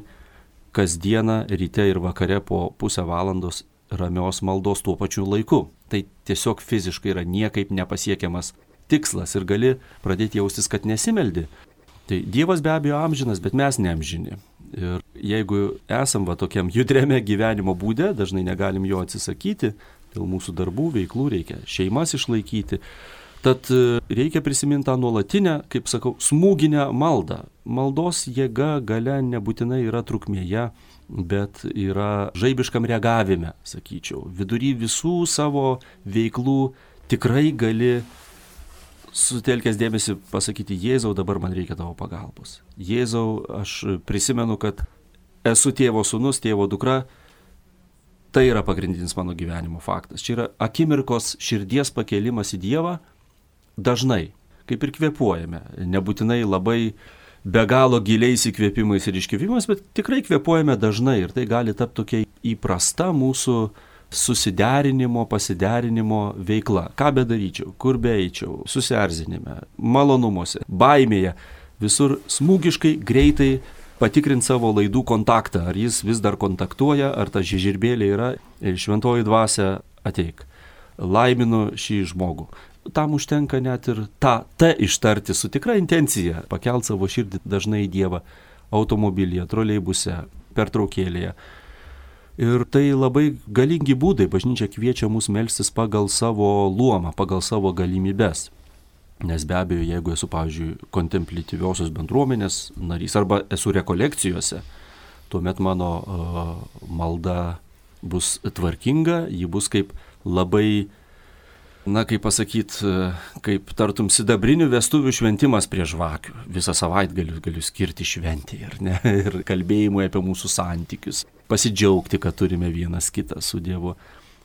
B: kasdieną ryte ir vakare po pusę valandos ramios maldos tuo pačiu laiku. Tai tiesiog fiziškai yra niekaip nepasiekiamas tikslas ir gali pradėti jaustis, kad nesimeldi. Tai Dievas be abejo amžinas, bet mes neamžini. Ir jeigu esam tokiam judriame gyvenimo būde, dažnai negalim jo atsisakyti, dėl mūsų darbų, veiklų reikia šeimas išlaikyti. Tad reikia prisiminti tą nuolatinę, kaip sakau, smūginę maldą. Maldos jėga galia nebūtinai yra trukmėje, bet yra žaibiškam reagavime, sakyčiau. Vidury visų savo veiklų tikrai gali sutelkęs dėmesį pasakyti: Jėzau, dabar man reikia tavo pagalbos. Jėzau, aš prisimenu, kad esu tėvo sūnus, tėvo dukra. Tai yra pagrindinis mano gyvenimo faktas. Čia yra akimirkos širdies pakėlimas į Dievą. Dažnai, kaip ir kvėpuojame, nebūtinai labai be galo giliais įkvėpimais ir iškvėpimais, bet tikrai kvėpuojame dažnai ir tai gali tapti tokia įprasta mūsų susiderinimo, pasiderinimo veikla. Ką bedaryčiau, kur beeičiau, susierzinime, malonumuose, baimėje, visur smūgiškai, greitai patikrinti savo laidų kontaktą, ar jis vis dar kontaktuoja, ar ta žiežirbėlė yra ir šventoji dvasia ateik. Laiminu šį žmogų. Tam užtenka net ir tą T ištarti su tikra intencija, pakelt savo širdį dažnai į Dievą automobilyje, troleibuse, pertraukėlėje. Ir tai labai galingi būdai. Bažnyčia kviečia mus melstis pagal savo luomą, pagal savo galimybes. Nes be abejo, jeigu esu, pavyzdžiui, kontemplityviosios bendruomenės narys arba esu rekolekcijose, tuomet mano malda bus tvarkinga, ji bus kaip labai, kaip pasakyti, kaip tartum sidabrinių vestuvių šventimas prie žvakių. Visą savaitgalį galiu skirti šventėje, ar ne? Ir kalbėjimui apie mūsų santykius. Pasidžiaugti, kad turime vienas kitą su Dievu.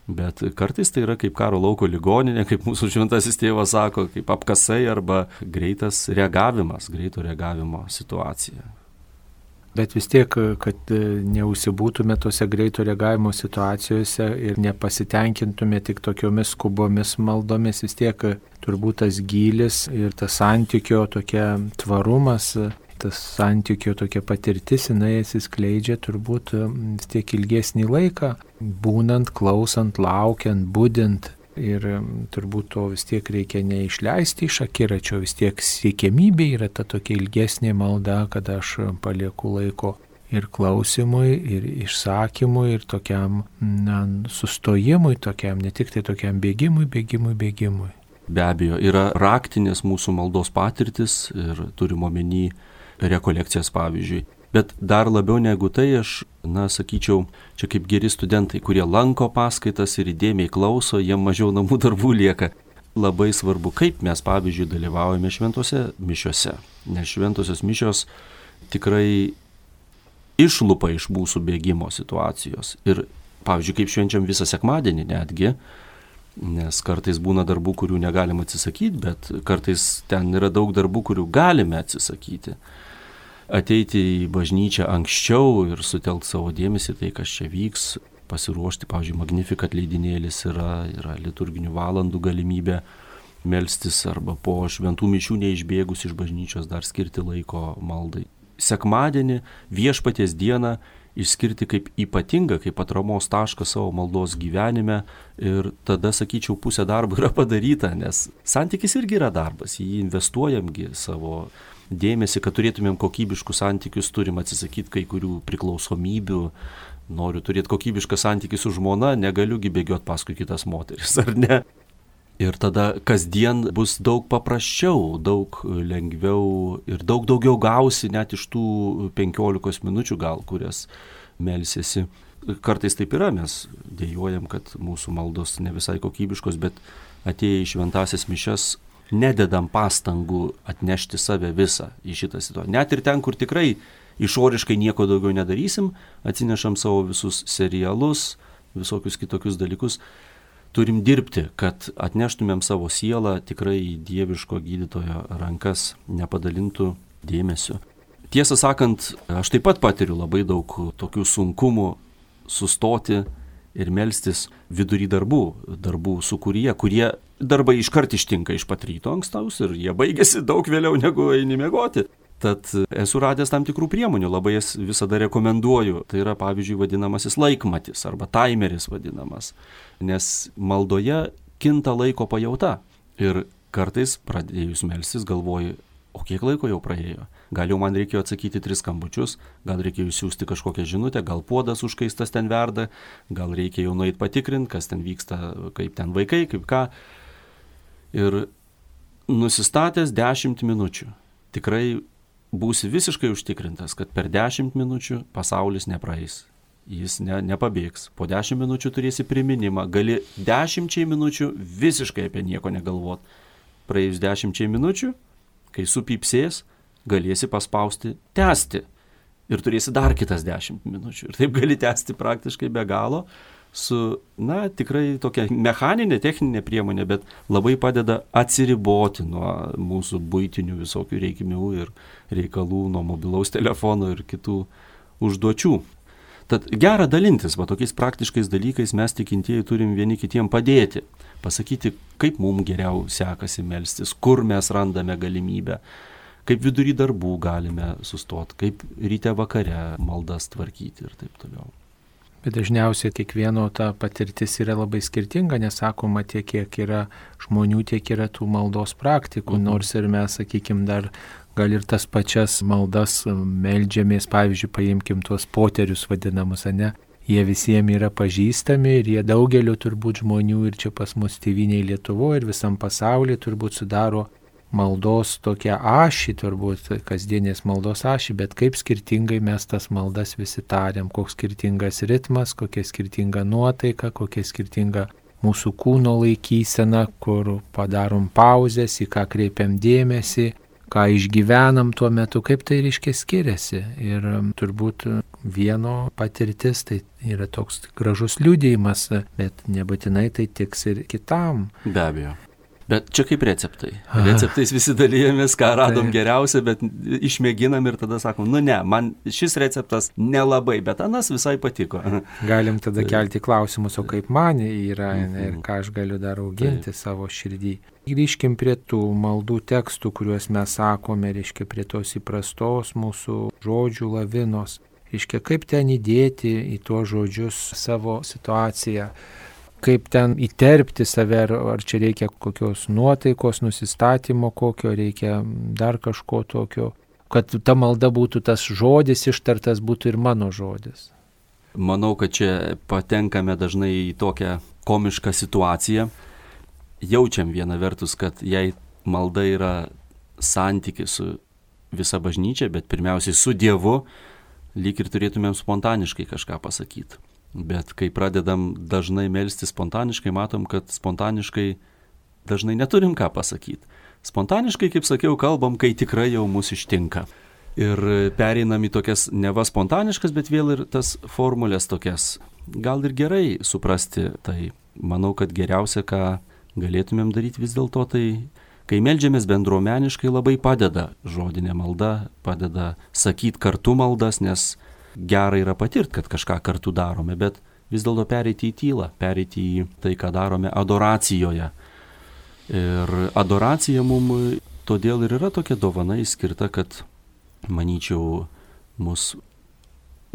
B: Bet kartais tai yra kaip karo lauko ligoninė, kaip mūsų šventasis tėvas sako, kaip apkasai arba greito reagavimo situacija.
A: Bet vis tiek, kad neužsibūtume tose greito reagavimo situacijose ir nepasitenkintume tik tokiomis skubomis maldomis, vis tiek turbūt tas gylis ir tas santykio tokia tvarumas, tas santykio tokia patirtis, jinai atsiskleidžia turbūt vis tiek ilgesnį laiką, būnant, klausant, laukiant, budint. Ir turbūt to vis tiek reikia neišleisti iš akiračio, vis tiek siekiamybė yra ta tokia ilgesnė malda, kad aš palieku laiko ir klausimui, ir išsakymui, ir tokiam sustojimui, tokiam, ne tik tai tokiam bėgimui.
B: Be abejo, yra raktinės mūsų maldos patirtis ir turim omeny rekolekcijas, pavyzdžiui. Bet dar labiau negu tai aš, sakyčiau, čia kaip geri studentai, kurie lanko paskaitas ir įdėmiai klauso, jiem mažiau namų darbų lieka. Labai svarbu, kaip mes, pavyzdžiui, dalyvaujame šventose mišiose. Nes šventosios mišios tikrai išlupa iš mūsų bėgimo situacijos. Ir, pavyzdžiui, kaip švenčiam visą sekmadienį netgi, nes kartais būna darbų, kurių negalim atsisakyti, bet kartais ten yra daug darbų, kurių galime atsisakyti. Ateiti į bažnyčią anksčiau ir sutelkti savo dėmesį tai, kas čia vyks, pasiruošti, pavyzdžiui, Magnificat leidinėlis yra liturginių valandų galimybė melstis arba po šventų mišių neišbėgus iš bažnyčios dar skirti laiko maldai. Sekmadienį, Viešpaties dieną išskirti kaip ypatingą, kaip atramos tašką savo maldos gyvenime ir tada, sakyčiau, pusė darbo yra padaryta, nes santykis irgi yra darbas, jį investuojamgi savo dėmesį, kad turėtumėm kokybiškus santykius, turim atsisakyti kai kurių priklausomybių. Noriu turėti kokybišką santykį su žmona, negaliugi bėgioti paskui kitas moteris, ar ne? Ir tada kasdien bus daug paprasčiau, daug lengviau ir daug daugiau gausi net iš tų 15 minučių gal, kurias melsiesi. Kartais taip yra, mes dėjuojam, kad mūsų maldos ne visai kokybiškos, bet atėję į šventasias mišias nededam pastangų atnešti save visą į šitą situaciją. Net ir ten, kur tikrai išoriškai nieko daugiau nedarysim, atsinešam savo visus serialus, visokius kitokius dalykus, turim dirbti, kad atneštumėm savo sielą tikrai į dieviško gydytojo rankas, nepadalintų dėmesio. Tiesą sakant, aš taip pat patiriu labai daug tokių sunkumų sustoti ir melstis vidury darbų sūkuryje, kurie darbai iškart ištinka iš pat ryto ankstaus ir jie baigėsi daug vėliau negu eini miegoti. Tad esu radęs tam tikrų priemonių, labai jas visada rekomenduoju. Tai yra, pavyzdžiui, vadinamasis laikmatis arba taimeris vadinamas. Nes maldoje kinta laiko pajauta. Ir kartais pradėjus melstis galvoju, o kiek laiko jau praėjo? Gal jau man reikėjo atsakyti 3 skambučius, gal reikėjo siūsti kažkokią žinutę, gal puodas užkaistas ten verda, gal reikia jau nueit patikrinti, kas ten vyksta, kaip ten vaikai, kaip ką. Ir nusistatęs 10 minučių. Tikrai būsi visiškai užtikrintas, kad per 10 minučių pasaulis nepraeis. Jis nepabėgs. Po 10 minučių turėsi priminimą. Gali 10 minučių visiškai apie nieko negalvot. Praėjus 10 minučių, kai supypsės, galėsi paspausti tęsti. Ir turėsi dar kitas 10 minučių. Ir taip gali tęsti praktiškai be galo su, tikrai tokia mechaninė, techninė priemonė, bet labai padeda atsiriboti nuo mūsų buitinių visokių reikmių ir reikalų, nuo mobilaus telefono ir kitų užduočių. Tad gera dalintis, tokiais praktiškais dalykais mes tikintieji turim vieni kitiem padėti, pasakyti, kaip mums geriau sekasi melstis, kur mes randame galimybę, kaip vidury darbų galime sustoti, kaip ryte vakare maldas tvarkyti ir taip toliau.
A: Bet dažniausiai kiekvieno ta patirtis yra labai skirtinga, nesakoma tiek, kiek yra žmonių, tiek yra tų maldos praktikų, nors ir mes, dar gal ir tas pačias maldas meldžiamės, pavyzdžiui, paimkim tuos poterius vadinamus, ne? Jie visiems yra pažįstami ir jie daugelio turbūt žmonių ir čia pas mus tėvynėje Lietuvoje ir visam pasaulyje turbūt sudaro maldos tokia ašį, turbūt kasdienės maldos ašį, bet kaip skirtingai mes tas maldas visi tariam, koks skirtingas ritmas, kokia skirtinga nuotaika, kokia skirtinga mūsų kūno laikysena, kur padarom pauzes, į ką kreipiam dėmesį, ką išgyvenam tuo metu, kaip tai reiškia skiriasi. Ir turbūt vieno patirtis tai yra toks gražus liudijimas, bet nebūtinai tai tiks ir kitam.
B: Be abejo. Bet čia kaip receptai. Receptais visi dalyjamės, ką radom geriausia, bet išmėginam ir tada sakom, man šis receptas nelabai, bet anas visai patiko.
A: Galim tada kelti klausimus, o kaip man yra ir ką aš galiu dar auginti savo širdį. Grįžkim prie tų maldų tekstų, kuriuos mes sakome, reiškia prie tos įprastos mūsų žodžių lavinos. Reiškia, kaip ten įdėti į tuos žodžius savo situaciją. Kaip ten įterpti save, ar čia reikia kokios nuotaikos, nusistatymo kokio, reikia dar kažko tokio, kad ta malda būtų tas žodis ištartas, būtų ir mano žodis.
B: Manau, kad čia patenkame dažnai į tokią komišką situaciją. Jaučiam viena vertus, kad jei malda yra santykis su visa bažnyčia, bet pirmiausiai su Dievu, lyg ir turėtumėm spontaniškai kažką pasakyti. Bet kai pradedam dažnai melstis spontaniškai, matom, kad spontaniškai dažnai neturim ką pasakyti. Spontaniškai, kaip sakiau, kalbam, kai tikrai jau mus ištinka. Ir pereinam į tokias neva spontaniškas, bet vėl ir tas formulės tokias. Gal ir gerai suprasti, tai manau, kad geriausia, ką galėtumėm daryti vis dėlto, tai kai meldžiamės bendruomeniškai, labai padeda žodinė malda, padeda sakyti kartu maldas, nes gera yra patirti, kad kažką kartu darome, bet vis dėlto pereiti į tylą, pereiti į tai, ką darome adoracijoje. Ir adoracija mums todėl ir yra tokia dovana skirta, kad, manyčiau, mus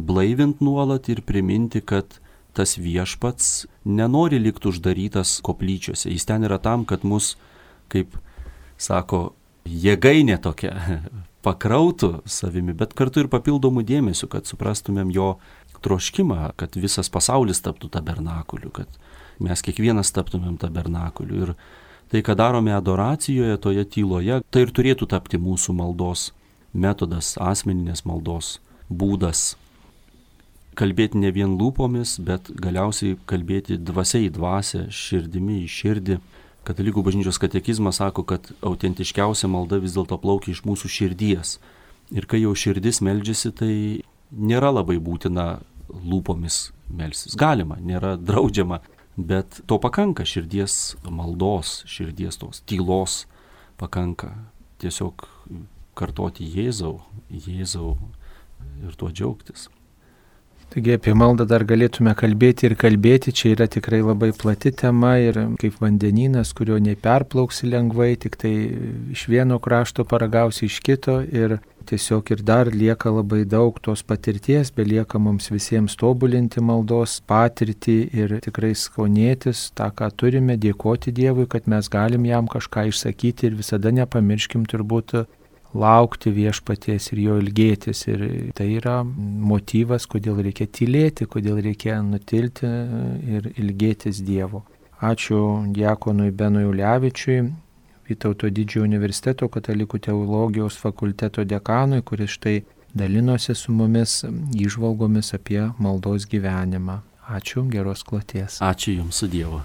B: blaivint nuolat ir priminti, kad tas viešpats nenori likti uždarytas koplyčiose. Jis ten yra tam, kad mus, kaip sako, jėgainė tokia, pakrautų savimi, bet kartu ir papildomų dėmesių, kad suprastumėm jo troškimą, kad visas pasaulis taptų tabernakuliu, kad mes kiekvienas taptumėm tabernakuliu. Ir tai, ką darome adoracijoje, toje tyloje, tai ir turėtų tapti mūsų maldos metodas, asmeninės maldos būdas. Kalbėti ne vien lūpomis, bet galiausiai kalbėti dvasia į dvasią, širdimi į širdį. Katalikų bažnyčios katekizmas sako, kad autentiškiausia malda vis dėlto plaukia iš mūsų širdies. Ir kai jau širdis meldžiasi, tai nėra labai būtina lūpomis melstis. Galima, nėra draudžiama, bet to pakanka širdies maldos, širdies tos tylos pakanka. Tiesiog kartoti Jėzau ir tuo džiaugtis.
A: Taigi apie maldą dar galėtume kalbėti ir kalbėti, čia yra tikrai labai plati tema ir kaip vandenynas, kurio neperplauksi lengvai, tik tai iš vieno krašto paragausi iš kito ir tiesiog ir dar lieka labai daug tos patirties, belieka mums visiems tobulinti maldos patirtį ir tikrai skonėtis tą, ką turime, dėkoti Dievui, kad mes galim jam kažką išsakyti ir visada nepamirškim turbūt laukti viešpaties ir jo ilgėtis. Ir tai yra motyvas, kodėl reikia tylėti, kodėl reikia nutilti ir ilgėtis Dievo. Ačiū diakonui Benui Ulevičiui, Vytauto Didžiojo universiteto katalikų teologijos fakulteto dekanui, kuris štai dalinosi su mumis įžvalgomis apie maldos gyvenimą. Ačiū, geros kloties.
B: Ačiū Jums su Dievu.